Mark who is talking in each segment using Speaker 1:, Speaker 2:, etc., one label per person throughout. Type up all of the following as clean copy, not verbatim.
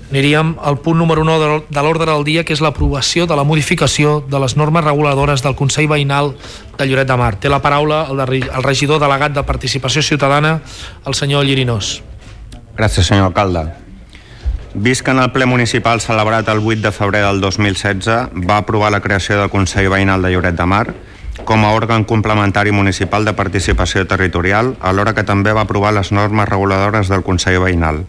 Speaker 1: Aniríem al punt número 1 de l'ordre del dia, que és l'aprovació de la modificació de les normes reguladores del Consell Veïnal de Lloret de Mar. Té la paraula el regidor delegat de Participació Ciutadana, el senyor Llirinós.
Speaker 2: Gràcies, senyor alcalde. Vist que en el ple municipal celebrat el 8 de febrer del 2016 va aprovar la creació del Consell Veïnal de Lloret de Mar com a òrgan complementari municipal de participació territorial, alhora que també va aprovar les normes reguladores del Consell Veïnal,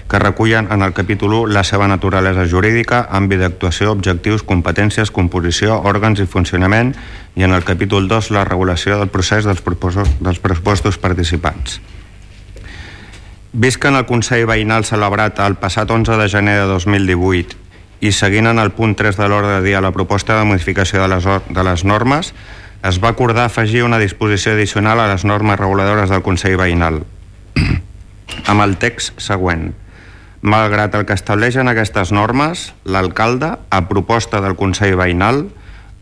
Speaker 2: que recullen en el capítol 1 la seva naturalesa jurídica, àmbit d'actuació, objectius, competències, composició, òrgans i funcionament, i en el capítol 2 la regulació del procés dels pressupostos participants. Vist que en el Consell Veïnal celebrat el passat 11 de gener de 2018 i seguint en el punt 3 de l'ordre del dia la proposta de modificació de les normes, es va acordar afegir una disposició addicional a les normes reguladores del Consell Veïnal, amb el text següent. Malgrat el que estableixen aquestes normes, l'alcalde, a proposta del Consell Veïnal,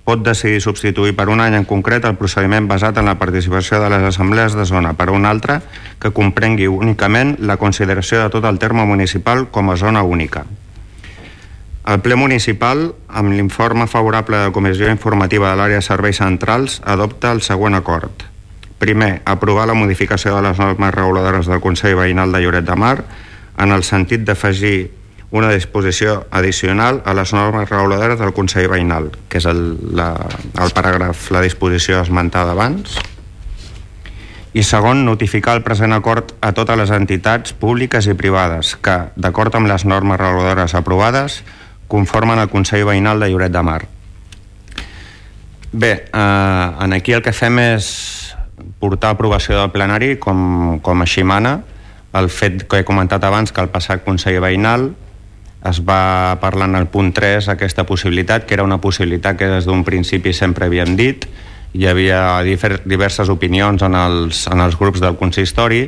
Speaker 2: pot decidir substituir per un any en concret el procediment basat en la participació de les assemblees de zona per un altre que comprengui únicament la consideració de tot el terme municipal com a zona única. El ple municipal, amb l'informe favorable de la Comissió Informativa de l'Àrea de Serveis Centrals, adopta el següent acord. Primer, aprovar la modificació de les normes reguladores del Consell Veïnal de Lloret de Mar en el sentit d'afegir una disposició addicional a les normes reguladores del Consell Veïnal, que és el paràgraf, la disposició esmentada abans. I segon, notificar el present acord a totes les entitats públiques i privades que, d'acord amb les normes reguladores aprovades, conformen el Consell Veïnal de Lloret de Mar. Bé, aquí el que fem és portar a aprovació del plenari, com així mana, el fet que he comentat abans, que el passat Consell Veïnal es va parlar en el punt 3 aquesta possibilitat, que era una possibilitat que des d'un principi sempre havíem dit. Hi havia diverses opinions en els grups del consistori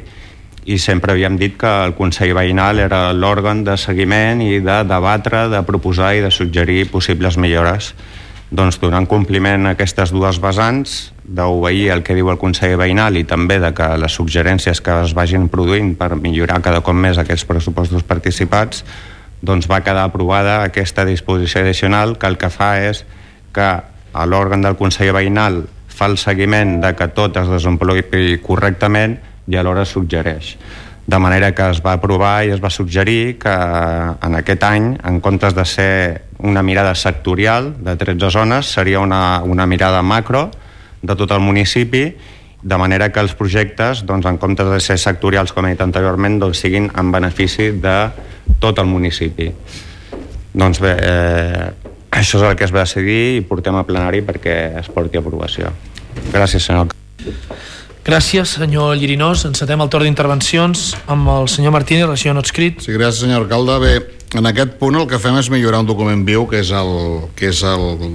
Speaker 2: i sempre havíem dit que el Consell Veïnal era l'òrgan de seguiment i de debatre, de proposar i de suggerir possibles millores. Doncs donant compliment a aquestes dues vessants, d'obeir el que diu el Consell Veïnal i també de que les suggerències que es vagin produint per millorar cada cop més aquests pressupostos participats, doncs va quedar aprovada aquesta disposició addicional que el que fa és que l'òrgan del Consell Veïnal fa el seguiment de que tot es desenvolupi correctament i alhora suggereix. De manera que es va aprovar i es va suggerir que en aquest any, en comptes de ser una mirada sectorial de 13 zones, seria una mirada macro de tot el municipi, de manera que els projectes, doncs, en comptes de ser sectorials, com he dit anteriorment, doncs, siguin en benefici de tot el municipi. Doncs bé, això és el que es va decidir i portem a plenari perquè es porti a aprovació. Gràcies, senyor alcalde.
Speaker 1: Gràcies, senyor Llirinós. Encetem el torn d'intervencions amb el senyor Martínez, regidor no adscrit.
Speaker 3: Sí, gràcies, senyor alcalde. Bé, en aquest punt el que fem és millorar un document viu, que és el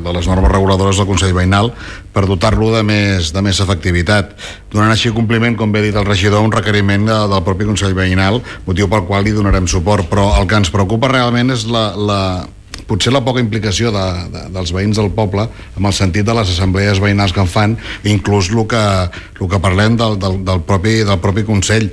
Speaker 3: de les normes reguladores del Consell Veïnal, per dotar-lo de més efectivitat, donant així compliment, com bé ha dit el regidor, un requeriment del propi Consell Veïnal, motiu pel qual li donarem suport. Però el que ens preocupa realment és potser la poca implicació dels veïns del poble, amb el sentit de les assemblees veïnals que en fan, inclús el que parlem del propi Consell.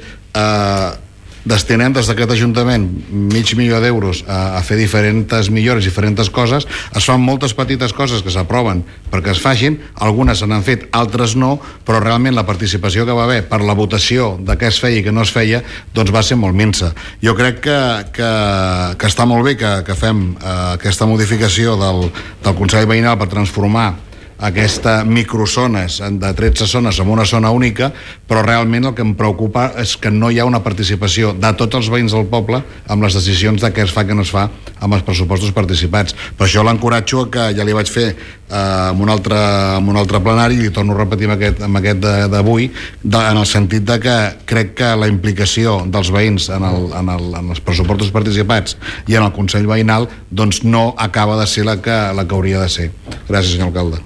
Speaker 3: Destinem des d'aquest Ajuntament $500.000 d'euros a fer diferents millores, diferents coses. Es fan moltes petites coses que s'aproven perquè es facin, algunes se n'han fet, altres no, però realment la participació que va haver per la votació de què es feia i què no es feia, doncs va ser molt minsa. Jo crec que està molt bé que fem aquesta modificació del Consell Veïnal per transformar aquesta microzones de 13 zones en una zona única, però realment el que em preocupa és que no hi ha una participació de tots els veïns del poble amb les decisions de què es fa i què no es fa amb els pressupostos participats. Per això l'encoratjo, que ja li vaig fer en un altre plenari, i li torno a repetir amb aquest d'avui, en el sentit de que crec que la implicació dels veïns en els pressupostos participats i en el Consell Veïnal doncs no acaba de ser la que hauria de ser. Gràcies, senyor alcalde.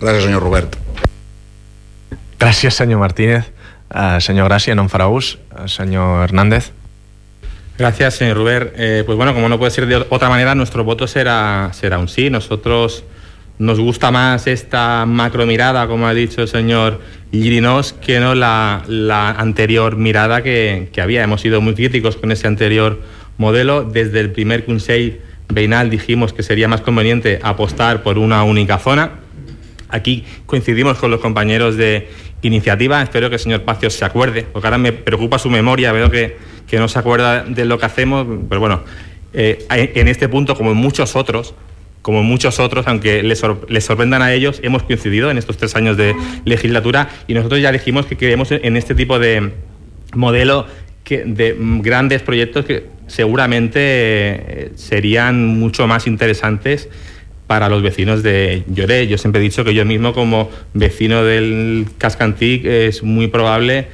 Speaker 3: Gràcies, senyor Robert.
Speaker 4: Gràcies, senyor Martínez. Señor Gracia, no en fará ús. Señor Hernández.
Speaker 5: Gracias, señor Robert. Pues bueno, como no puede ser de otra manera, nuestro voto será un sí. Nosotros nos gusta más esta macro mirada, como ha dicho el señor Llirinós, que no la anterior mirada que había. Hemos sido muy críticos con ese anterior modelo. Desde el primer Consell Veïnal dijimos que sería más conveniente apostar por una única zona. Aquí coincidimos con los compañeros de Iniciativa. Espero que el señor Pacios se acuerde, porque ahora me preocupa su memoria, veo que no se acuerda de lo que hacemos, pero bueno, en este punto, como en muchos otros, aunque les sorprendan a ellos, hemos coincidido en estos 3 años de legislatura, y nosotros ya dijimos que creemos en este tipo de modelo de grandes proyectos que seguramente serían mucho más interesantes para los vecinos de Lloret. Yo siempre he dicho que yo mismo, como vecino del Casc Antic, es muy probable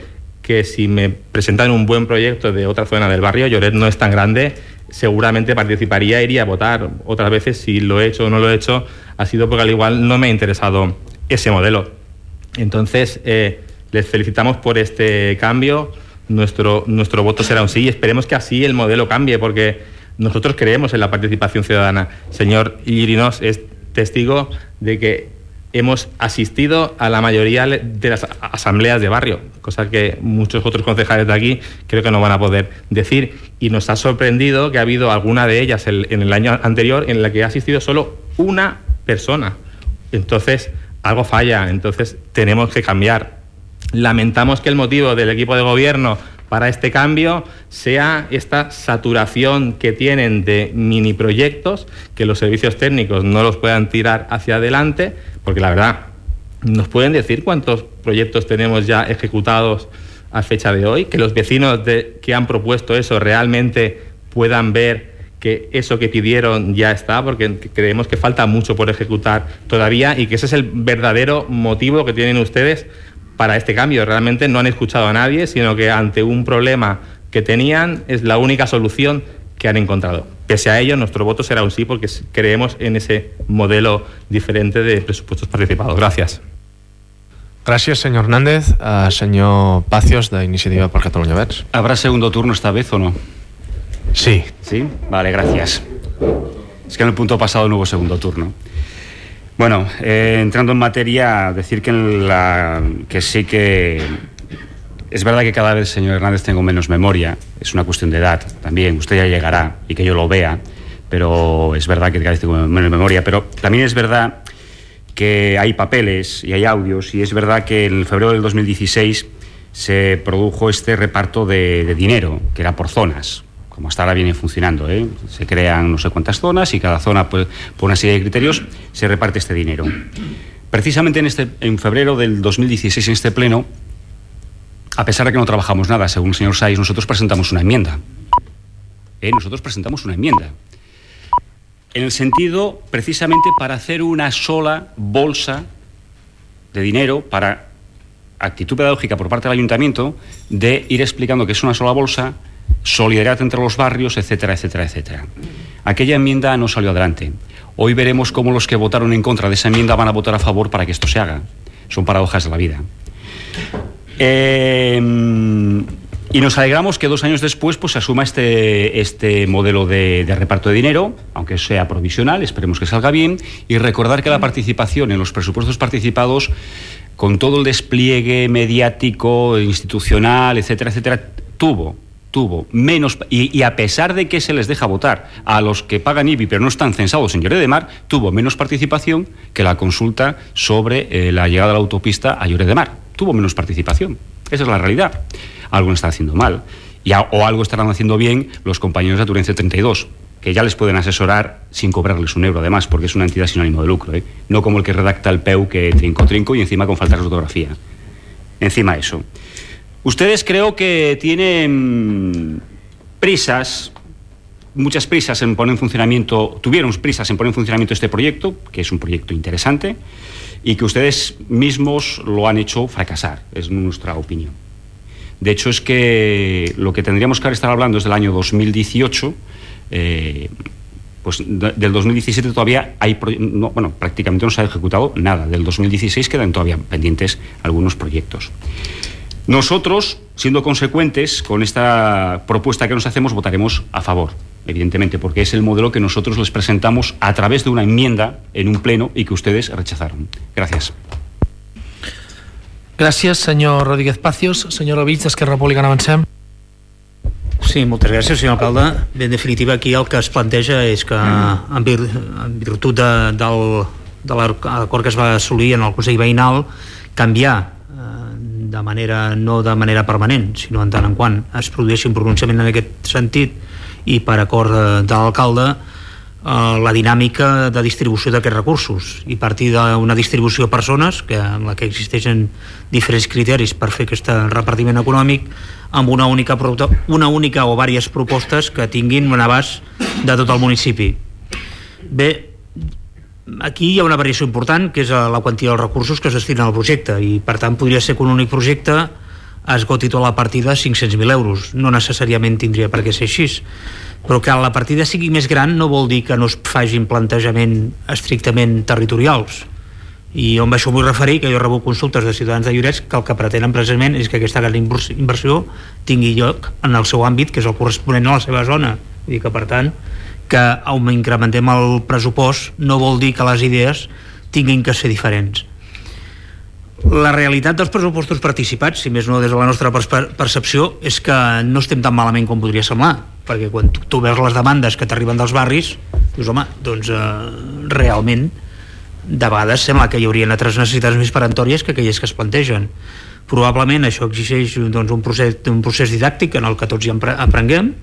Speaker 5: que si me presentan un buen proyecto de otra zona del barrio, Lloret no es tan grande, seguramente participaría, iría a votar. Otras veces, si lo he hecho o no lo he hecho, ha sido porque al igual no me ha interesado ese modelo. Entonces, les felicitamos por este cambio. Nuestro voto será un sí, y esperemos que así el modelo cambie, porque nosotros creemos en la participación ciudadana. Señor Llirinos es testigo de que hemos asistido a la mayoría de las asambleas de barrio, cosa que muchos otros concejales de aquí creo que no van a poder decir. Y nos ha sorprendido que ha habido alguna de ellas en el año anterior en la que ha asistido solo una persona. Entonces, algo falla, entonces tenemos que cambiar. Lamentamos que el motivo del equipo de gobierno para este cambio sea esta saturación que tienen de mini proyectos, que los servicios técnicos no los puedan tirar hacia adelante, porque la verdad, ¿nos pueden decir cuántos proyectos tenemos ya ejecutados a fecha de hoy? Que los vecinos que han propuesto eso realmente puedan ver que eso que pidieron ya está, porque creemos que falta mucho por ejecutar todavía, y que ese es el verdadero motivo que tienen ustedes para este cambio. Realmente no han escuchado a nadie, sino que ante un problema que tenían es la única solución que han encontrado. Pese a ello, nuestro voto será un sí, porque creemos en ese modelo diferente de presupuestos participados. Gracias.
Speaker 4: Gracias, señor Hernández. Señor Pacios, de Iniciativa per Catalunya Verds.
Speaker 6: ¿Habrá segundo turno esta vez o no?
Speaker 4: Sí.
Speaker 6: ¿Sí? Vale, gracias. Es que en el punto pasado no hubo segundo turno. Bueno, entrando en materia, decir que sí que es verdad que cada vez, señor Hernández, tengo menos memoria. Es una cuestión de edad también. Usted ya llegará y que yo lo vea, pero es verdad que cada vez tengo menos memoria. Pero también es verdad que hay papeles y hay audios, y es verdad que en febrero del 2016 se produjo este reparto de dinero, que era por zonas, como hasta ahora viene funcionando, Se crean no sé cuántas zonas, y cada zona, pues, por una serie de criterios, se reparte este dinero. Precisamente en febrero del 2016, en este pleno, a pesar de que no trabajamos nada, según el señor Saiz, nosotros presentamos una enmienda. Nosotros presentamos una enmienda. En el sentido, precisamente, para hacer una sola bolsa de dinero, para actitud pedagógica por parte del ayuntamiento, de ir explicando que es una sola bolsa, solidaridad entre los barrios, etcétera, etcétera, etcétera. Aquella enmienda no salió adelante. Hoy veremos cómo los que votaron en contra de esa enmienda van a votar a favor para que esto se haga. Son paradojas de la vida. Y nos alegramos que 2 años después pues, se asuma este modelo de reparto de dinero, aunque sea provisional, esperemos que salga bien, y recordar que la participación en los presupuestos participados, con todo el despliegue mediático, institucional, etcétera, etcétera, tuvo menos, y a pesar de que se les deja votar a los que pagan IBI pero no están censados en Lloret de Mar, tuvo menos participación que la consulta sobre la llegada de la autopista a Lloret de Mar. Tuvo menos participación. Esa es la realidad. Algo está haciendo mal. O algo estarán haciendo bien los compañeros de Aturense 32, que ya les pueden asesorar sin cobrarles un euro, además, porque es una entidad sin ánimo de lucro, no como el que redacta el PEU, que trinco y encima con falta de ortografía. Encima eso. Ustedes creo que tienen prisas, muchas prisas en poner en funcionamiento, tuvieron prisas en poner en funcionamiento este proyecto, que es un proyecto interesante, y que ustedes mismos lo han hecho fracasar, es nuestra opinión. De hecho, es que lo que tendríamos que estar hablando es del año 2018, pues del 2017 todavía hay, prácticamente no se ha ejecutado nada. Del 2016 quedan todavía pendientes algunos proyectos. Nosotros, siendo consecuentes con esta propuesta que nos hacemos, votaremos a favor, evidentemente, porque es el modelo que nosotros les presentamos a través de una enmienda en un pleno y que ustedes rechazaron. Gracias.
Speaker 1: Gràcies, senyor Rodríguez Pacios. Senyor Ovich, d'Esquerra Republicana, avancem.
Speaker 7: Sí, moltes gràcies, senyor alcalde. Bé, en definitiva, aquí el que es planteja és que, en virtut de l'acord que es va assolir en el Consell Veïnal, canviar no de manera permanent, sinó en tant en quant es produeixi un pronunciament en aquest sentit i per acord de l'alcalde, la dinàmica de distribució d'aquests recursos i partir d'una distribució a persones en la que existeixen diferents criteris per fer aquest repartiment econòmic amb una única o diverses propostes que tinguin un abast de tot el municipi. Bé, aquí hi ha una variació important, que és la quantia dels recursos que es destinen al projecte, i per tant podria ser que un únic projecte esgoti tota la partida de 500.000 euros. No necessàriament tindria per què ser així, però que la partida sigui més gran no vol dir que no es facin plantejament estrictament territorials. I on això vull referir, que jo rebo consultes de ciutadans de Lloret que el que pretenen precisament és que aquesta gran inversió tingui lloc en el seu àmbit, que és el corresponent a la seva zona. Vull dir que, per tant, que incrementem el pressupost no vol dir que les idees tinguin que ser diferents. La realitat dels pressupostos participats, si més no des de la nostra percepció, és que no estem tan malament com podria semblar, perquè quan tu veus les demandes que t'arriben dels barris, dius, home, doncs realment de vegades sembla que hi haurien altres necessitats més peremptòries que aquelles que es plantegen. Probablement això exigeix un procés didàctic en el que tots hi aprenguem,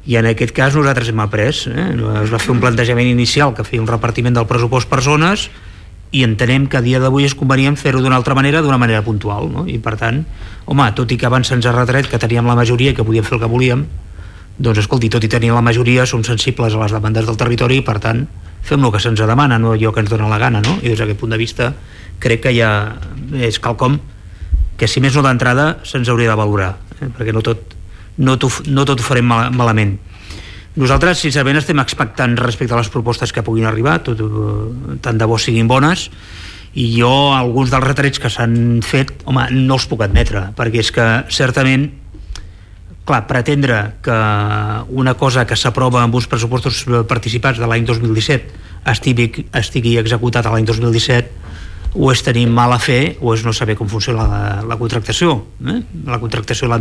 Speaker 7: i en aquest cas nosaltres hem après. Es va fer un plantejament inicial que feia un repartiment del pressupost per zones i entenem que a dia d'avui és convenient fer-ho d'una altra manera, d'una manera puntual, no? I per tant, home, tot i que abans se'ns ha retret que teníem la majoria i que podíem fer el que volíem, doncs escolti, tot i tenir la majoria som sensibles a les demandes del territori i per tant fem el que se'ns demana, no allò que ens dona la gana, no? I des d'aquest punt de vista crec que ja és quelcom que si més no d'entrada se'ns hauria de valorar, perquè no tot ho farem malament. Nosaltres sincerament estem expectants respecte a les propostes que puguin arribar, tant de bo siguin bones, i jo alguns dels retrets que s'han fet, home, no els puc admetre, perquè és que certament, clar, pretendre que una cosa que s'aprova amb uns pressupostos participats de l'any 2017 estigui executat a l'any 2017 o és tenir mala fe o és no saber com funciona la contractació, la contractació en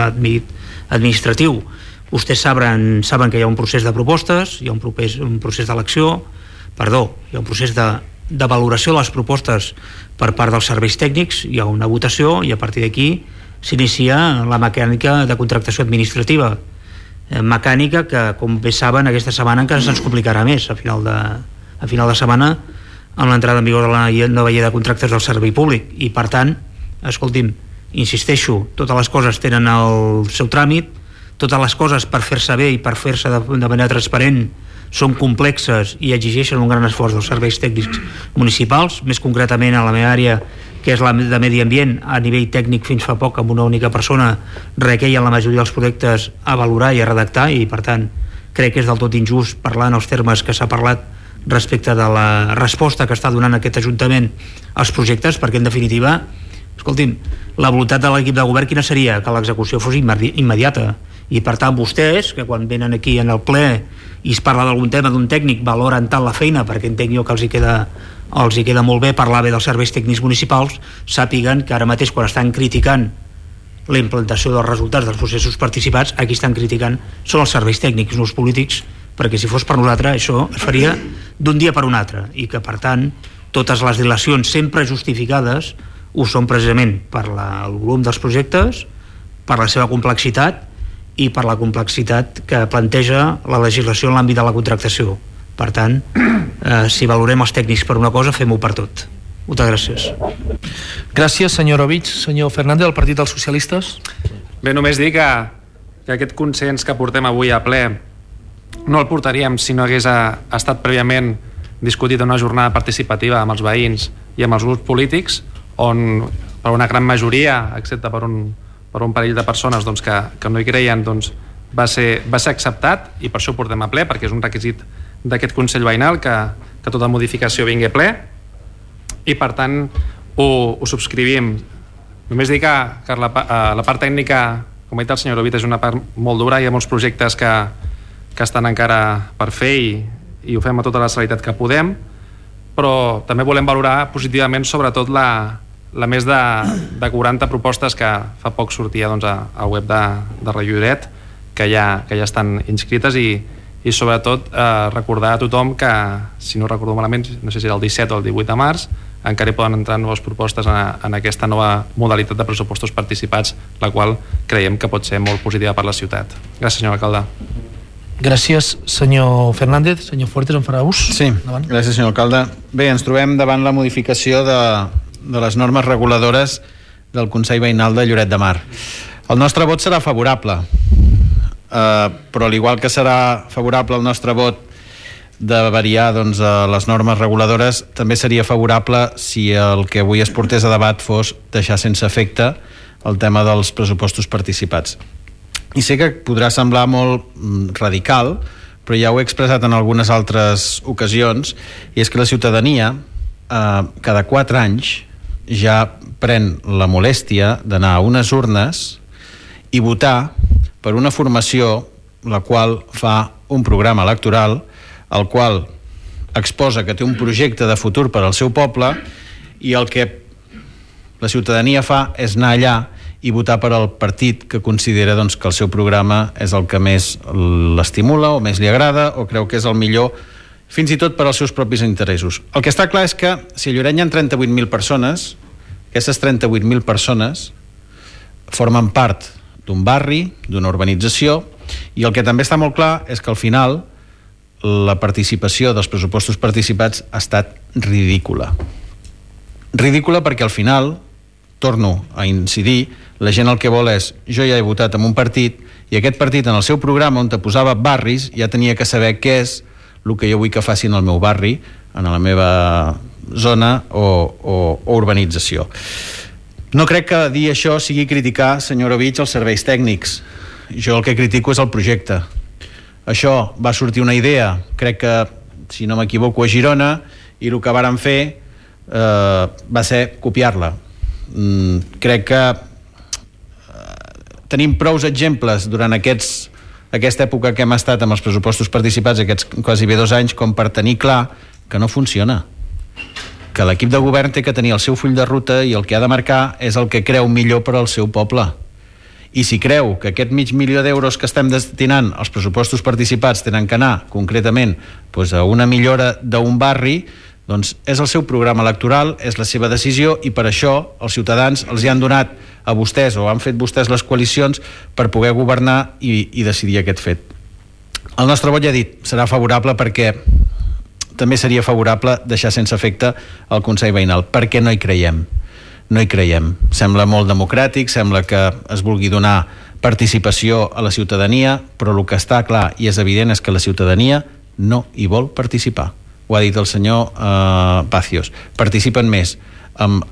Speaker 7: l'àmbit administratiu. Vostès saben que hi ha un procés de propostes, hi ha un procés d'elecció, hi ha un procés de valoració de les propostes per part dels serveis tècnics, hi ha una votació i a partir d'aquí s'inicia la mecànica de contractació administrativa, mecànica que, com bé saben, aquesta setmana encara se'ns complicarà més, a final de setmana, amb l'entrada en vigor de la nova llei de contractes del servei públic. I per tant, escolti'm, insisteixo, totes les coses tenen el seu tràmit, totes les coses per fer-se bé i per fer-se de manera transparent són complexes i exigeixen un gran esforç dels serveis tècnics municipals, més concretament a la meva àrea, que és la de medi ambient. A nivell tècnic fins fa poc amb una única persona requeien la majoria dels projectes a valorar i a redactar, i per tant crec que és del tot injust parlar en els termes que s'ha parlat respecte de la resposta que està donant aquest Ajuntament als projectes, perquè en definitiva, escolti'm, la voluntat de l'equip de govern quina seria? Que l'execució fos immediata, i per tant vostès, que quan venen aquí en el ple i es parla d'algun tema d'un tècnic, valoren tant la feina, perquè entenc jo que els hi queda molt bé parlar bé dels serveis tècnics municipals, sàpiguen que ara mateix quan estan criticant la implantació dels resultats dels processos participats, aquí estan criticant són els serveis tècnics, no els polítics, perquè si fos per nosaltres això es faria d'un dia per un altre, i que per tant totes les dilacions sempre justificades ho són precisament per el volum dels projectes, per la seva complexitat i per la complexitat que planteja la legislació en l'àmbit de la contractació. Per tant, si valorem els tècnics per una cosa, fem-ho per tot. Moltes gràcies.
Speaker 1: Gràcies, senyor Ovich. Senyor Fernández, del Partit dels Socialistes.
Speaker 8: Bé, només dir que aquest consens que portem avui a ple no el portaríem si no hagués estat prèviament discutit en una jornada participativa amb els veïns i amb els grups polítics, on per una gran majoria, excepte per un parell de persones doncs, que no hi creien, doncs, va ser acceptat, i per això ho portem a ple, perquè és un requisit d'aquest Consell Veïnal que tota modificació vingui a ple, i per tant ho subscrivim. Només dir que la part tècnica, com ha dit el senyor Ovich, és una part molt dura, hi ha molts projectes que estan encara per fer i ho fem a tota la celeritat que podem, però també volem valorar positivament sobretot la més de 40 propostes que fa poc sortia doncs, al web de Radio Lloret, que ja estan inscrites i sobretot recordar a tothom que, si no recordo malament, no sé si era el 17 o el 18 de març, encara hi poden entrar noves propostes en aquesta nova modalitat de pressupostos participats, la qual creiem que pot ser molt positiva per la ciutat. Gràcies, senyor alcalde.
Speaker 1: Gràcies, senyor Fernández. Senyor Fuertes, en farà ús?
Speaker 9: Sí, gràcies, senyor alcalde. Bé, ens trobem davant la modificació de les normes reguladores del Consell Veïnal de Lloret de Mar. El nostre vot serà favorable, però al igual que serà favorable el nostre vot de variar doncs, les normes reguladores, també seria favorable si el que avui es portés a debat fos deixar sense efecte el tema dels pressupostos participats. I sé que podrà semblar molt radical, però ja ho he expressat en algunes altres ocasions, i és que la ciutadania cada 4 anys ja pren la molèstia d'anar a unes urnes i votar per una formació la qual fa un programa electoral, el qual exposa que té un projecte de futur per al seu poble, i el que la ciutadania fa és anar allà i votar per al partit que considera doncs, que el seu programa és el que més l'estimula o més li agrada o creu que és el millor, fins i tot per als seus propis interessos. El que està clar és que si a Lloret hi ha 38.000 persones, aquestes 38.000 persones formen part d'un barri, d'una urbanització, i el que també està molt clar és que al final la participació dels pressupostos participats ha estat ridícula. Ridícula perquè al final, torno a incidir, la gent el que vol és, jo ja he votat en un partit i aquest partit en el seu programa on te posava barris ja tenia que saber què és el que jo vull que facin al meu barri, en la meva zona o urbanització. No crec que dir això sigui criticar, senyor Ovich, els serveis tècnics. Jo el que critico és el projecte. Això va sortir una idea, crec que, si no m'equivoco, a Girona, i el que varen fer va ser copiar-la. Crec que tenim prous exemples durant aquesta època que hem estat amb els pressupostos participats, aquests quasi bé 2 anys, com per tenir clar que no funciona, que l'equip de govern té que tenir el seu full de ruta i el que ha de marcar és el que creu millor per al seu poble. I si creu que aquest $500.000 d'euros que estem destinant als pressupostos participats tenen que anar concretament doncs, a una millora d'un barri, doncs és el seu programa electoral, és la seva decisió, i per això els ciutadans els hi han donat a vostès o han fet vostès les coalicions per poder governar i decidir aquest fet. El nostre vot, ja he dit, serà favorable perquè també seria favorable deixar sense efecte el Consell Veïnal, perquè no hi creiem. No hi creiem. Sembla molt democràtic, sembla que es vulgui donar participació a la ciutadania, però el que està clar i és evident és que la ciutadania no hi vol participar. Ho ha dit el senyor Pacios. Participen més en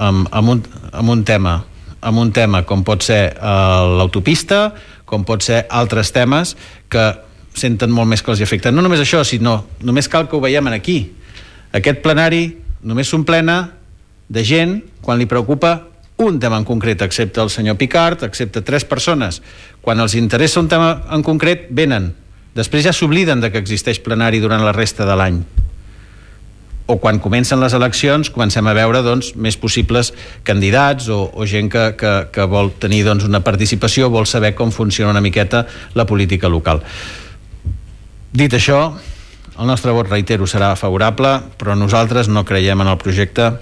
Speaker 9: un tema com pot ser l'autopista, com pot ser altres temes que senten molt més que els afecten. No només això, sinó només cal que ho veiem aquí. Aquest plenari només s'omplena de gent quan li preocupa un tema en concret, excepte el senyor Picard, excepte 3 persones. Quan els interessa un tema en concret, venen. Després ja s'obliden de que existeix plenari durant la resta de l'any. O quan comencen les eleccions comencem a veure doncs, més possibles candidats o gent que vol tenir doncs, una participació, vol saber com funciona una miqueta la política local. Dit això, el nostre vot, reitero, serà favorable, però nosaltres no creiem en el projecte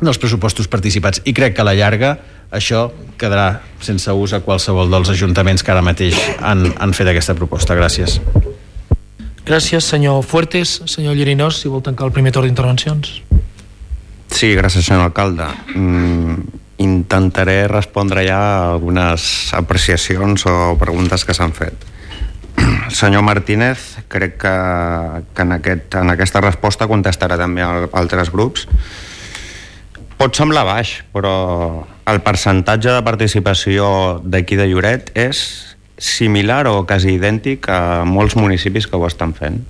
Speaker 9: dels pressupostos participats i crec que a la llarga això quedarà sense ús a qualsevol dels ajuntaments que ara mateix han fet aquesta proposta. Gràcies.
Speaker 1: Gràcies, senyor Fuertes. Senyor Llinós, si vol tancar el primer torn d'intervencions.
Speaker 2: Sí, gràcies, senyor alcalde. Intentaré respondre ja a algunes apreciacions o preguntes que s'han fet. Senyor Martínez, crec que en aquesta resposta contestarà també a altres grups. Pot semblar baix, però el percentatge de participació d'aquí de Lloret és similar o quasi idèntic a molts municipis que ho estan fent.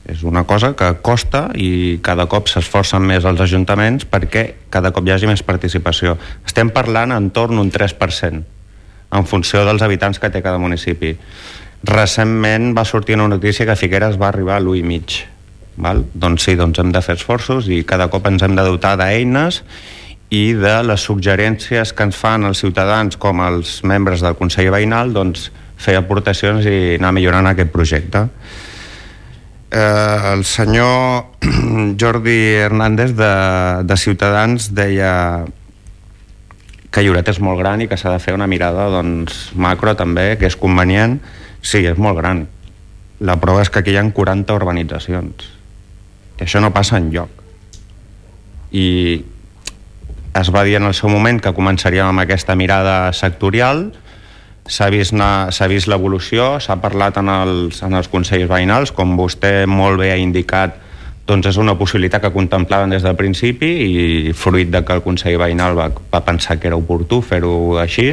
Speaker 2: És una cosa que costa i cada cop s'esforcen més els ajuntaments perquè cada cop hi hagi més participació. Estem parlant entorn un 3% en funció dels habitants que té cada municipi. Recentment va sortir una notícia que Figueres va arribar a l'1,5. Doncs sí, hem de fer esforços i cada cop ens hem de dotar d'eines i de les suggerències que ens fan els ciutadans com els membres del Consell Veïnal, doncs fer aportacions i anar millorant aquest projecte. El senyor Jordi Hernández de Ciutadans deia que Lloret és molt gran i que s'ha de fer una mirada macro també, que és convenient. Sí, és molt gran. La prova és que aquí hi ha 40 urbanitzacions. I això no passa enlloc. I es va dir en el seu moment que començaríem amb aquesta mirada sectorial. S'ha vist l'evolució, s'ha parlat en els consells veïnals, com vostè molt bé ha indicat, doncs és una possibilitat que contemplaven des del principi i fruit de que el Consell Veïnal va pensar que era oportú fer-ho així,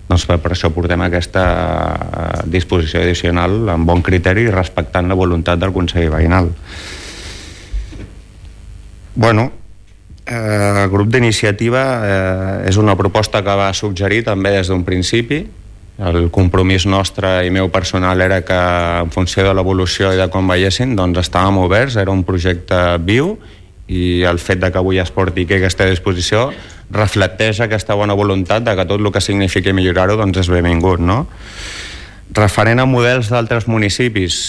Speaker 2: doncs per això portem aquesta disposició addicional amb bon criteri i respectant la voluntat del Consell Veïnal. Bueno, el grup d'iniciativa és una proposta que va suggerir també des d'un principi. El compromís nostre i meu personal era que en funció de l'evolució i de com veiessin, doncs estàvem oberts, era un projecte viu i el fet de que avui es porti aquí aquesta disposició reflecteix aquesta bona voluntat de que tot el que signifiqui millorar-ho doncs és benvingut, no? Referent a models d'altres municipis,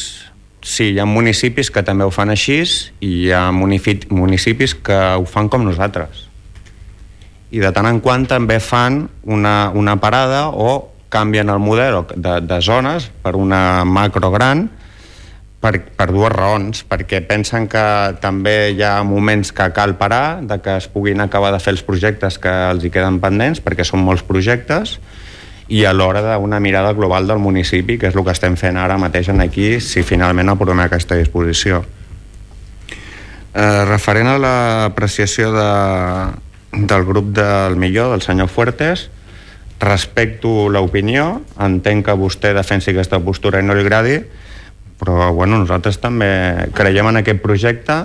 Speaker 2: sí, hi ha municipis que també ho fan així i hi ha municipis que ho fan com nosaltres. I de tant en quant també fan una parada o canvien el model de zones per una macro gran per dues raons, perquè pensen que també hi ha moments que cal parar, de que es puguin acabar de fer els projectes que els hi queden pendents, perquè són molts projectes, i alhora d'una mirada global del municipi, que és el que estem fent ara mateix aquí, si finalment aprovem aquesta disposició. Referent a l'apreciació del grup del Millor, del senyor Fuertes, respecto l'opinió, entenc que vostè defensi aquesta postura i no li agradi, però bueno, nosaltres també creiem en aquest projecte,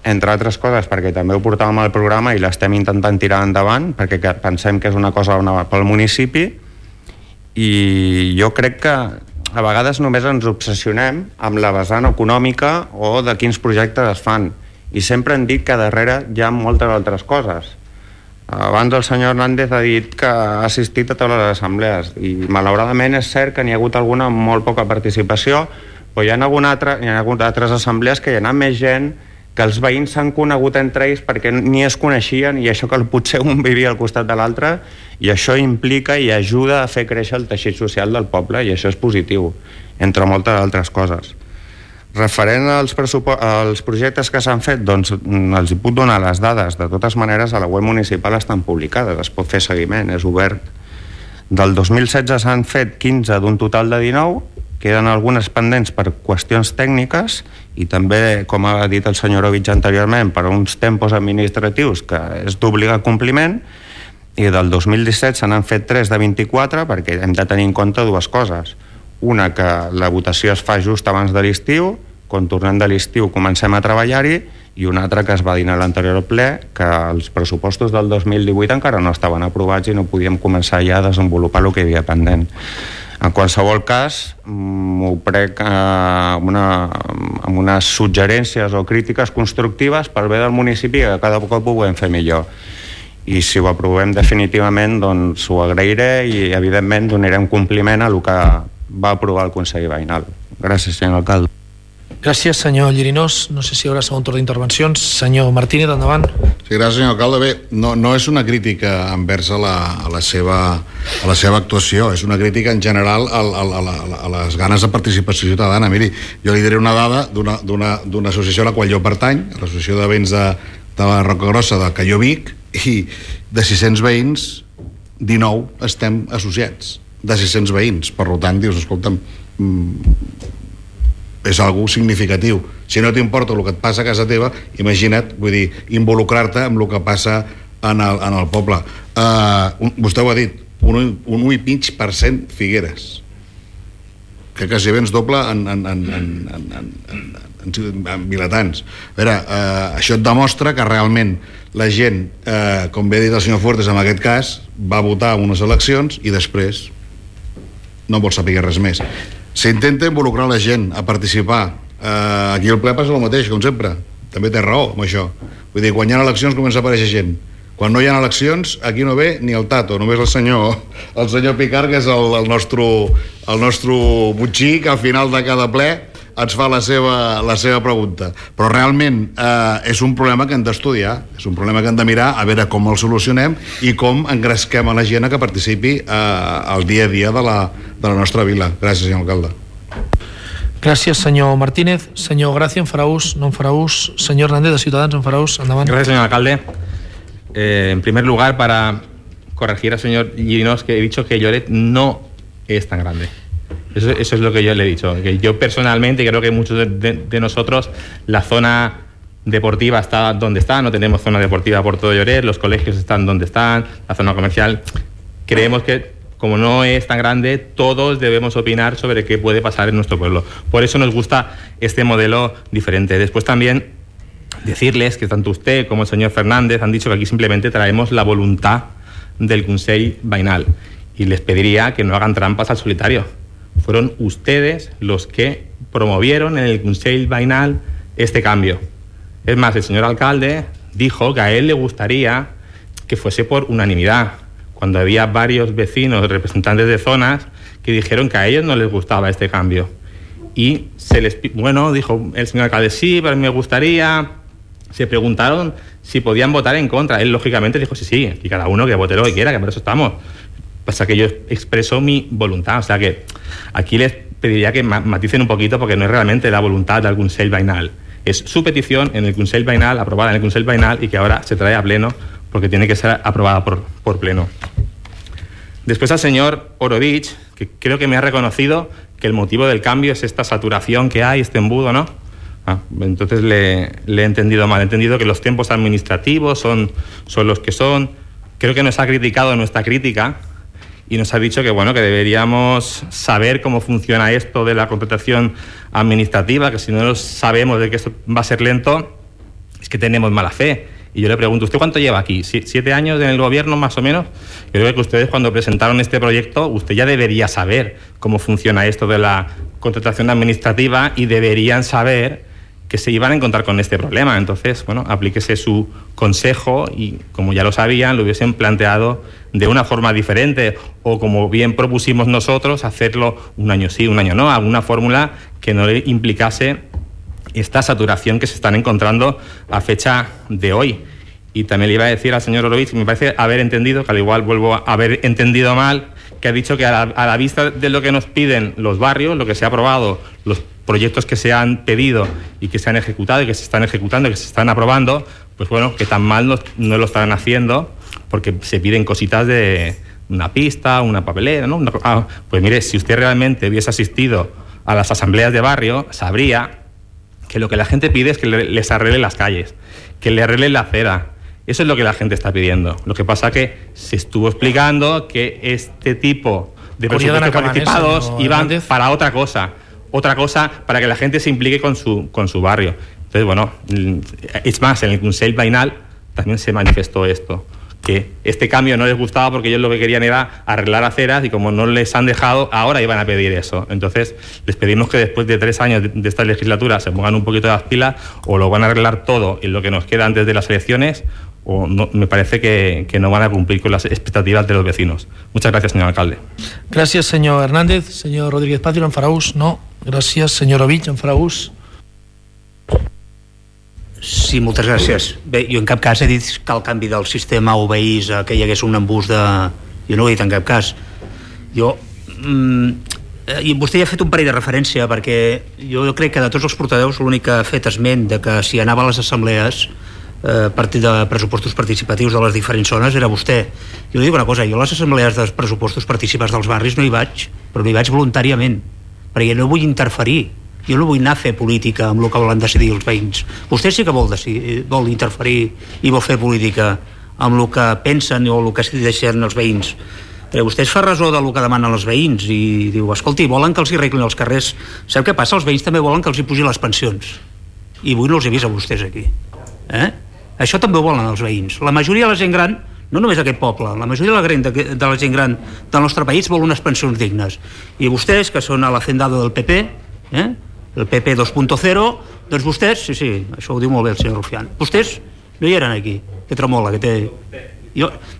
Speaker 2: entre altres coses perquè també ho portàvem al programa i l'estem intentant tirar endavant, perquè pensem que és una cosa pel municipi, i jo crec que a vegades només ens obsessionem amb la vessant econòmica o de quins projectes es fan, i sempre hem dit que darrere hi ha moltes altres coses. Abans el senyor Hernández ha dit que ha assistit a totes les assemblees i malauradament és cert que n'hi ha hagut alguna amb molt poca participació, però hi ha hagut altres assemblees que hi ha anat més gent, que els veïns s'han conegut entre ells perquè ni es coneixien, i això que potser un vivia al costat de l'altre, i això implica i ajuda a fer créixer el teixit social del poble, i això és positiu, entre moltes altres coses. Referent als projectes que s'han fet, doncs els hi puc donar les dades. De totes maneres, a la web municipal estan publicades, es pot fer seguiment, és obert. Del 2016 s'han fet 15 d'un total de 19, queden algunes pendents per qüestions tècniques i també, com ha dit el senyor Ovich anteriorment, per uns tempos administratius que és d'obligat compliment, i del 2017 se n'han fet 3 de 24 perquè hem de tenir en compte dues coses. Una, que la votació es fa just abans de l'estiu, quan tornem de l'estiu comencem a treballar-hi, i una altra que es va dir a l'anterior ple, que els pressupostos del 2018 encara no estaven aprovats i no podíem començar ja a desenvolupar el que hi havia pendent. En qualsevol cas, m'ho prenc amb unes suggerències o crítiques constructives pel bé del municipi, que cada cop ho puguem fer millor. I si ho aprovem definitivament, doncs ho agrairé i evidentment donarem compliment a el que va aprovar el Consell Veïnal. Gràcies, senyor alcalde.
Speaker 1: Gràcies, senyor Llirinós. No sé si hi haurà segon torn d'intervencions. Senyor Martínez, endavant.
Speaker 3: Sí, gràcies, senyor alcalde. Bé, no és una crítica envers a la seva actuació, és una crítica en general a les ganes de participació ciutadana. Miri, jo li diré una dada d'una associació a la qual jo pertany, l'Associació de Veïns de la Roca Grossa de Calló Vic, i de 600 veïns 19 estem associats, de 600 veïns. Per tant, dius, escolta'm, és algo significatiu. Si no t'importa el que et passa a casa teva, imagina't, vull dir, involucrar-te amb el que passa en el poble. Vostè ho ha dit, un 1,5% Figueres, que quasi bé ens doble en vilatans. A veure, això et demostra que realment la gent, com bé ha dit el senyor Fuertes en aquest cas, va votar en unes eleccions i després no vol saber res més. S'intenta involucrar la gent a participar. Aquí el ple passa el mateix, com sempre. També té raó amb això. Vull dir, quan hi ha eleccions comença a aparèixer gent. Quan no hi ha eleccions, aquí no ve ni el Tato, només el senyor Picard, que és el nostre butxí, que al final de cada ple ens fa la seva pregunta. Però realment és un problema que hem d'estudiar, és un problema que hem de mirar a veure com el solucionem i com engresquem a la gent que participi al dia a dia de la nostra vila. Gràcies, senyor alcalde.
Speaker 1: Gràcies, senyor Martínez. Senyor Gracia, en farà ús? No en farà ús? Senyor Hernández, de Ciutadans, en farà ús? Endavant.
Speaker 5: Gracias, señor alcalde. En primer lugar, para corregir al señor Llirinós, que he dicho que Lloret no es tan grande. Eso es lo que yo le he dicho. Que yo personalmente, y creo que muchos de nosotros, la zona deportiva está donde está, no tenemos zona deportiva por todo Lloret, los colegios están donde están, la zona comercial. Creemos que, como no es tan grande, todos debemos opinar sobre qué puede pasar en nuestro pueblo. Por eso nos gusta este modelo diferente. Después también decirles que tanto usted como el señor Fernández han dicho que aquí simplemente traemos la voluntad del Consell Veïnal, y les pediría que no hagan trampas al solitario. Fueron ustedes los que promovieron en el Consell Veïnal este cambio. Es más, el señor alcalde dijo que a él le gustaría que fuese por unanimidad, cuando había varios vecinos, representantes de zonas, que dijeron que a ellos no les gustaba este cambio. Y dijo el señor alcalde, sí, pero me gustaría. Se preguntaron si podían votar en contra. Él, lógicamente, dijo sí, y cada uno que vote lo que quiera, que por eso estamos. Pasa que yo expreso mi voluntad. O sea que aquí les pediría que maticen un poquito, porque no es realmente la voluntad del Consell Veïnal. Es su petición en el Consell Veïnal, aprobada en el Consell Veïnal, y que ahora se trae a pleno, porque tiene que ser aprobada por pleno. Después al señor Orovich, que creo que me ha reconocido que el motivo del cambio es esta saturación que hay, este embudo, ¿no? Entonces le he entendido mal. He entendido que los tiempos administrativos son los que son. Creo que nos ha criticado nuestra crítica y nos ha dicho que que deberíamos saber cómo funciona esto de la contratación administrativa, que si no sabemos de que esto va a ser lento, es que tenemos mala fe. Y yo le pregunto, ¿usted cuánto lleva aquí? ¿7 años en el gobierno, más o menos? Yo creo que ustedes, cuando presentaron este proyecto, usted ya debería saber cómo funciona esto de la contratación administrativa, y deberían saber que se iban a encontrar con este problema. Entonces, aplíquese su consejo, y como ya lo sabían, lo hubiesen planteado de una forma diferente, o como bien propusimos nosotros, hacerlo un año sí, un año no, alguna fórmula que no le implicase esta saturación que se están encontrando a fecha de hoy. Y también le iba a decir al señor Orovich, que me parece haber entendido, que al igual vuelvo a haber entendido mal, que ha dicho que a la vista de lo que nos piden los barrios, lo que se ha aprobado, los proyectos que se han pedido y que se han ejecutado y que se están ejecutando y que se están aprobando, que tan mal no lo están haciendo, porque se piden cositas de una pista, una papelera, ¿no? Pues mire, si usted realmente hubiese asistido a las asambleas de barrio, sabría que lo que la gente pide es que les arregle las calles, que le arregle la acera. Eso es lo que la gente está pidiendo. Lo que pasa que se estuvo explicando que este tipo de presupuestos participados iban para otra cosa para que la gente se implique con su barrio. Entonces, es más, en el Consell Veïnal también se manifestó esto, que este cambio no les gustaba porque ellos lo que querían era arreglar aceras, y como no les han dejado, ahora iban a pedir eso. Entonces, les pedimos que después de 3 años de esta legislatura se pongan un poquito de las pilas, o lo van a arreglar todo en lo que nos queda antes de las elecciones, o no, me parece que no van a cumplir con las expectativas de los vecinos. Muchas gracias, señor alcalde.
Speaker 1: Gràcies, senyor Hernández. Senyor Rodríguez Patio, en farà ús? No. Gràcies. Senyor Orovich, en farà ús?
Speaker 7: Sí, moltes gràcies. Bé, jo en cap cas he dit que el canvi del sistema obeís a que hi hagués un embús de... Jo no ho he dit en cap cas. I vostè ja ha fet un parell de referència, perquè jo crec que de tots els portaveus l'únic que ha fet esment de que si anava a les assemblees partit de pressupostos participatius de les diferents zones era vostè. Jo dic una cosa, jo a les assemblees de pressupostos participats dels barris no hi vaig, però no hi vaig voluntàriament, perquè no vull interferir. Jo no vull anar a fer política amb el que volen decidir els veïns. Vostè sí que vol interferir i vol fer política amb el que pensen o el que decideixen els veïns. Però vostè es fa ressò del que demanen els veïns i diu, escolti, volen que els hi arreglin els carrers. Sap què passa? Els veïns també volen que els hi pugin les pensions. I avui no els he vist a vostès aquí. Això també ho volen els veïns. La majoria de la gent gran, no només aquest poble, la majoria de la gent gran del nostre país vol unes pensions dignes. I vostès, que són a l'hacendado del PP, el PP 2.0, doncs vostès, sí, això ho diu molt bé el senyor Rufián, vostès No hi eren aquí, que tremola, que té...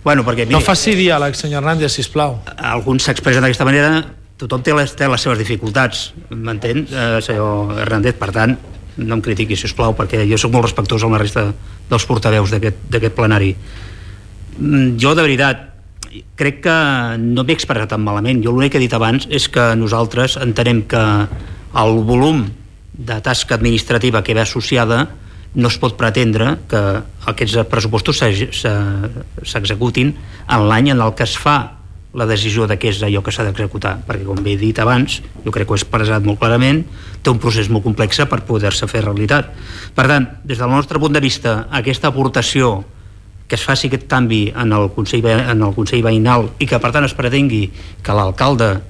Speaker 7: Bueno, perquè, miri,
Speaker 1: no faci diàleg, senyor Hernández, sisplau.
Speaker 7: Alguns s'expressen d'aquesta manera, tothom té les seves dificultats, m'entén, senyor Hernández? Per tant, no em critiqui, sisplau, perquè jo sóc molt respectuós amb la resta dels portaveus d'aquest plenari. Jo, de veritat, crec que no m'he expressat tan malament. Jo l'únic que he dit abans és que nosaltres entenem que el volum de tasca administrativa que ve associada no es pot pretendre que aquests pressupostos s'executin en l'any en el que es fa la decisió de què és allò que s'ha d'executar, perquè com bé he dit abans, jo crec que ho he expressat molt clarament, té un procés molt complex per poder-se fer realitat. Per tant, des del nostre punt de vista, aquesta aportació que es faci aquest canvi en el Consell Veïnal i que per tant es pretengui que l'alcalde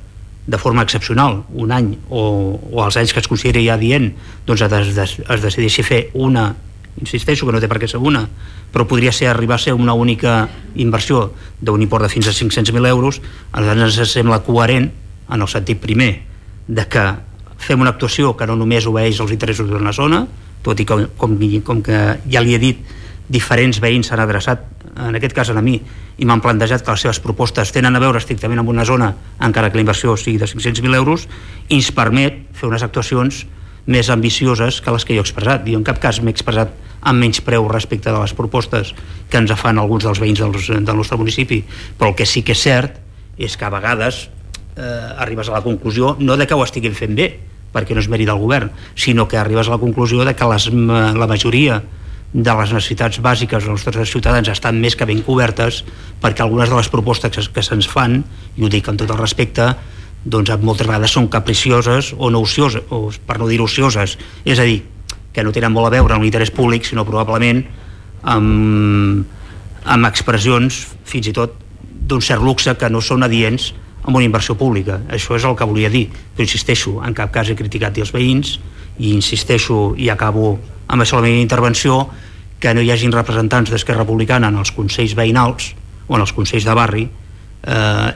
Speaker 7: de forma excepcional, un any o els anys que es consideri ja dient, doncs es decideixi fer una, insisteixo que no té per què ser una, però podria ser arribar a ser una única inversió d'un import de fins a 500.000 euros, ens sembla coherent en el sentit primer de que fem una actuació que no només obeeix als interessos d'una zona, tot i que com que ja li he dit, diferents veïns s'han adreçat, en aquest cas a mi, i m'han plantejat que les seves propostes tenen a veure estrictament amb una zona, encara que la inversió sigui de 500.000 euros, i ens permet fer unes actuacions més ambicioses que les que jo he expressat. Jo en cap cas m'he expressat amb menys preu respecte de les propostes que ens fan alguns dels veïns del nostre municipi, però el que sí que és cert és que a vegades arribes a la conclusió, no de que ho estiguin fent bé, perquè no és mèrit del govern, sinó que arribes a la conclusió de que la majoria de les necessitats bàsiques dels nostres ciutadans estan més que ben cobertes, perquè algunes de les propostes que se'ns fan, i ho dic amb tot el respecte, doncs moltes vegades són capricioses o no ocioses, o per no dir ocioses, és a dir, que no tenen molt a veure amb l'interès públic, sinó probablement amb expressions fins i tot d'un cert luxe que no són adients amb una inversió pública. Això és el que volia dir, però insisteixo, en cap cas he criticat els veïns, i insisteixo i acabo amb això la meva intervenció, que no hi hagin representants d'Esquerra Republicana en els consells veïnals o en els consells de barri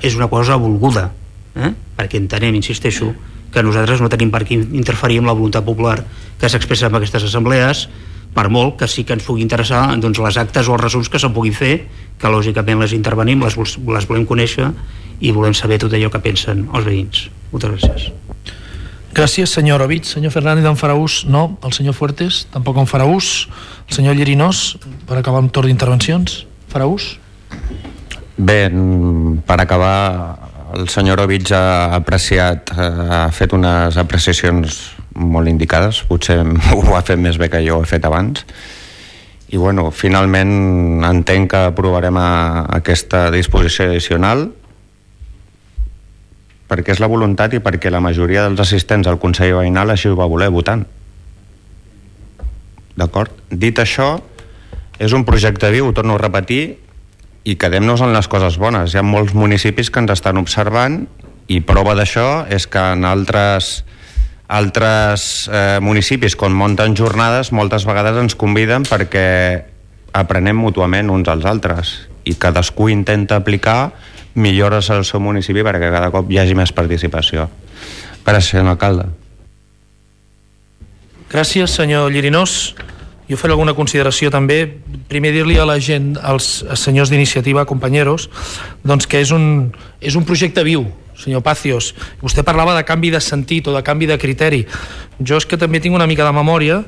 Speaker 7: és una cosa volguda, perquè entenem, insisteixo, que nosaltres no tenim per què interferir amb la voluntat popular que s'expressa en aquestes assemblees, per molt que sí que ens pugui interessar doncs, les actes o els resums que se'n puguin fer, que lògicament les intervenim, les volem conèixer i volem saber tot allò que pensen els veïns. Moltes gràcies.
Speaker 1: Gràcies, senyor Ovich. Senyor Fernández, en farà ús? No. El senyor Fuertes tampoc en farà ús. El senyor Llinós, per acabar amb torn d'intervencions, farà ús?
Speaker 2: Bé, per acabar, el senyor Ovich ha fet unes apreciacions molt indicades, potser ho ha fet més bé que jo ho he fet abans, i bueno, finalment entenc que aprovarem aquesta disposició addicional perquè és la voluntat i perquè la majoria dels assistents al Consell Veïnal així ho va voler votant. D'acord? Dit això, és un projecte viu, ho torno a repetir, i quedem-nos en les coses bones. Hi ha molts municipis que ens estan observant i prova d'això és que en altres municipis, quan munten jornades, moltes vegades ens conviden perquè aprenem mútuament uns als altres i cadascú intenta aplicar millores al seu municipi perquè cada cop hi hagi més participació. Gràcies, senyor alcalde.
Speaker 1: Gràcies, senyor Llinós. Jo faré alguna consideració també. Primer dir-li a la gent, als senyors d'iniciativa, companyeros, doncs que és un projecte viu, senyor Pacios. Vostè parlava de canvi de sentit o de canvi de criteri. Jo és que també tinc una mica de memòria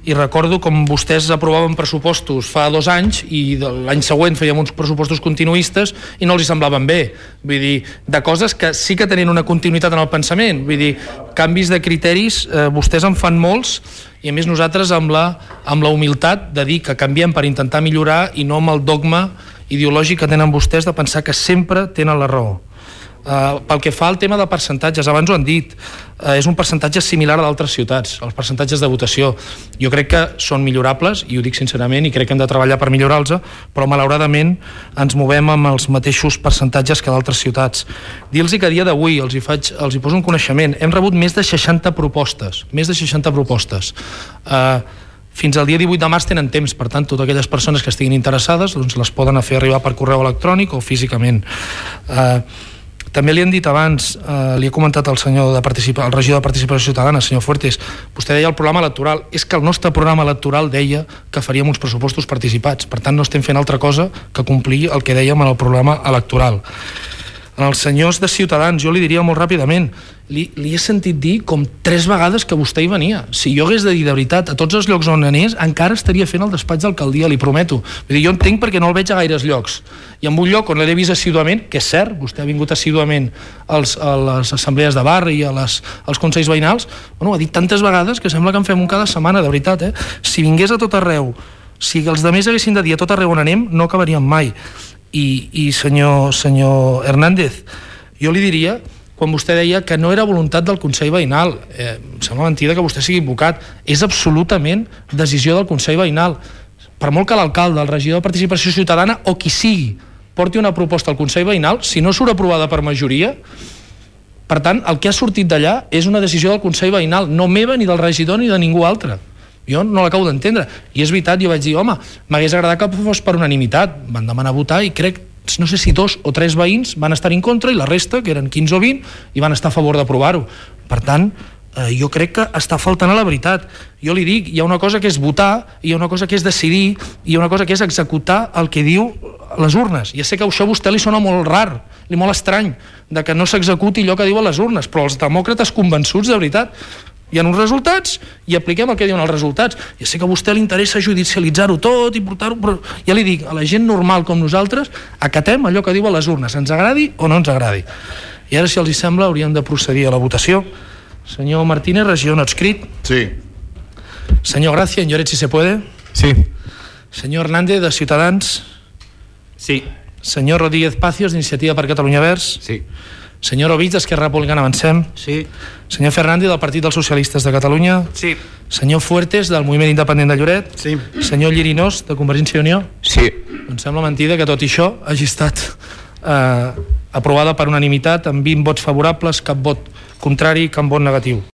Speaker 1: i recordo com vostès aprovaven pressupostos fa 2 anys i l'any següent fèiem uns pressupostos continuistes i no els hi semblaven bé. Vull dir, de coses que sí que tenien una continuïtat en el pensament. Vull dir, canvis de criteris, vostès en fan molts i a més nosaltres amb la humilitat de dir que canviem per intentar millorar i no amb el dogma ideològic que tenen vostès de pensar que sempre tenen la raó. Pel que fa al tema de percentatges, abans ho han dit, és un percentatge similar a d'altres ciutats, els percentatges de votació. Jo crec que són millorables, i ho dic sincerament, i crec que hem de treballar per millorar-los, però malauradament ens movem amb els mateixos percentatges que d'altres ciutats. Dir-los que a dia d'avui, els hi poso un coneixement, hem rebut més de 60 propostes, fins al dia 18 de març tenen temps, per tant, totes aquelles persones que estiguin interessades doncs les poden fer arribar per correu electrònic o físicament. També li han dit abans, li he comentat al regidor de Participació Ciutadana, senyor Fuertes, vostè deia el programa electoral, és que el nostre programa electoral deia que faríem uns pressupostos participats, per tant no estem fent altra cosa que complir el que dèiem en el programa electoral. Als senyors de Ciutadans jo li diria molt ràpidament, li he sentit dir com 3 vegades que vostè hi venia. Si jo hagués de dir de veritat a tots els llocs on anés, encara estaria fent el despatx d'alcaldia, li prometo. Vull dir, jo entenc perquè no el veig a gaires llocs, i en un lloc on l'he vist assiduament, que és cert, vostè ha vingut assiduament a les assemblees de barri i als consells veïnals, bueno, ho ha dit tantes vegades que sembla que en fem un cada setmana, de veritat, Si vingués a tot arreu, si els altres haguessin de dir a tot arreu on anem, no acabaríem mai. I senyor Hernández, jo li diria, quan vostè deia que no era voluntat del Consell Veïnal, em sembla mentida que vostè sigui advocat, és absolutament decisió del Consell Veïnal. Per molt que l'alcalde, el regidor de Participació Ciutadana o qui sigui porti una proposta al Consell Veïnal, si no surt aprovada per majoria, per tant, el que ha sortit d'allà és una decisió del Consell Veïnal, no meva ni del regidor ni de ningú altre. Jo no l'acabo d'entendre, i és veritat, jo vaig dir, home, m'hagués agradat que fos per unanimitat, van demanar votar i crec, no sé si 2 o 3 veïns van estar en contra i la resta, que eren 15 o 20, i van estar a favor d'aprovar-ho. Per tant, jo crec que està faltant a la veritat. Jo li dic, hi ha una cosa que és votar, hi ha una cosa que és decidir, i hi ha una cosa que és executar el que diu les urnes. Ja sé que això a vostè li sona molt rar, molt estrany, de que no s'executi allò que diuen les urnes, però els demòcrates convençuts, de veritat, hi ha uns resultats i apliquem el que diuen els resultats. Ja sé que a vostè li interessa judicialitzar-ho tot i portar-ho, però ja li dic, a la gent normal com nosaltres acatem allò que diuen les urnes, ens agradi o no ens agradi. I ara, si els hi sembla, hauríem de procedir a la votació. Senyor Martínez, regidor no adscrit.
Speaker 3: Sí.
Speaker 1: Senyor Gracia, en Lloret, si se puede.
Speaker 4: Sí.
Speaker 1: Senyor Hernández, de Ciutadans.
Speaker 5: Sí.
Speaker 1: Senyor Rodríguez Pacios, d'Iniciativa per Catalunya Verds.
Speaker 6: Sí.
Speaker 1: Senyor Ovich, d'Esquerra Republicana Avancem.
Speaker 7: Sí.
Speaker 1: Senyor Fernández, del Partit dels Socialistes de Catalunya.
Speaker 8: Sí.
Speaker 1: Senyor Fuertes, del Moviment Independent de Lloret.
Speaker 9: Sí.
Speaker 1: Senyor Llirinós, de Convergència i Unió.
Speaker 2: Sí.
Speaker 1: Em sembla mentida que tot i això hagi estat aprovada per unanimitat amb 20 vots favorables, cap vot contrari, cap vot negatiu.